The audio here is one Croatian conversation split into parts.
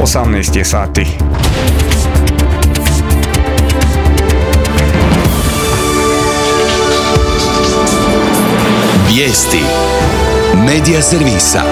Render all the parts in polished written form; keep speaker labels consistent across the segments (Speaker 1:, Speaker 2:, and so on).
Speaker 1: 18 je sati.
Speaker 2: Vijesti Medija servisa.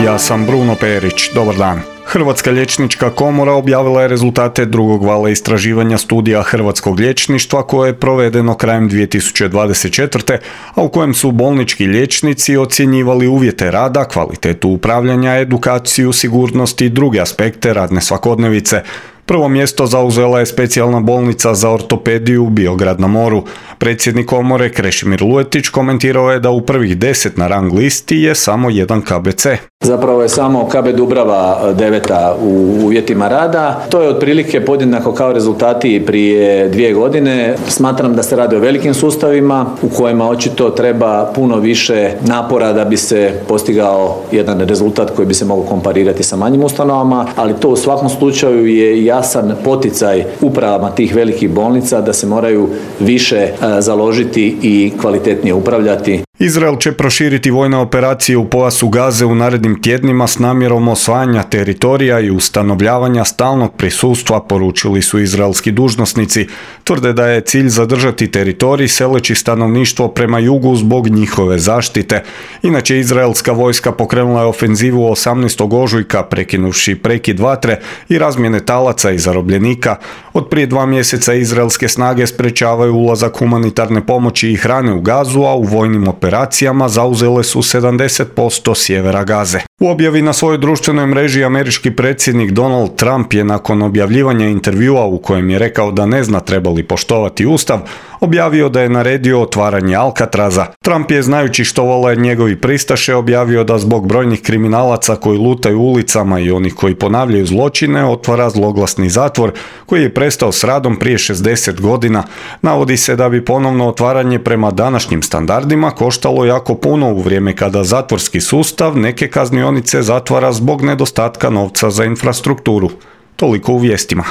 Speaker 1: Ja sam Bruno Perić, dobar dan. Hrvatska liječnička komora objavila je rezultate drugog vala istraživanja studija hrvatskog liječništva koje je provedeno krajem 2024. a u kojem su bolnički liječnici ocjenjivali uvjete rada, kvalitetu upravljanja, edukaciju, sigurnost i druge aspekte radne svakodnevice. Prvo mjesto zauzela je specijalna bolnica za ortopediju Biograd na moru. Predsjednik komore Krešimir Luetić komentirao je da u prvih 10 na rang listi je samo jedan KBC.
Speaker 3: Zapravo je samo KB Dubrava 9. u uvjetima rada. To je otprilike podjednako kao rezultati prije 2 godine. Smatram da se radi o velikim sustavima u kojima očito treba puno više napora da bi se postigao jedan rezultat koji bi se mogao komparirati sa manjim ustanovama, ali to u svakom slučaju je jasan poticaj upravama tih velikih bolnica da se moraju više založiti i kvalitetnije upravljati.
Speaker 1: Izrael će proširiti vojne operacije u pojasu Gaze u narednim tjednima s namjerom osvajanja teritorija i ustanovljavanja stalnog prisustva, poručili su izraelski dužnosnici. Tvrde da je cilj zadržati teritorij seleći stanovništvo prema jugu zbog njihove zaštite. Inače, izraelska vojska pokrenula je ofenzivu 18. ožujka prekinuvši prekid vatre i razmjene talaca i zarobljenika. Od prije 2 mjeseca izraelske snage sprečavaju ulazak humanitarne pomoći i hrane u Gazu, a u vojnim operacijama zauzele su 70% sjevera Gaze. U objavi na svojoj društvenoj mreži američki predsjednik Donald Trump je nakon objavljivanja intervjua u kojem je rekao da ne zna treba li poštovati Ustav, objavio da je naredio otvaranje Alcatraza. Trump je, znajući što vole njegovi pristaše, objavio da zbog brojnih kriminalaca koji lutaju ulicama i onih koji ponavljaju zločine otvara zloglasni zatvor koji je prestao s radom prije 60 godina. Navodi se da bi ponovno otvaranje prema današnjim standardima koštalo jako puno u vrijeme kada zatvorski sustav neke kaznionice zatvara zbog nedostatka novca za infrastrukturu. Toliko u vijestima.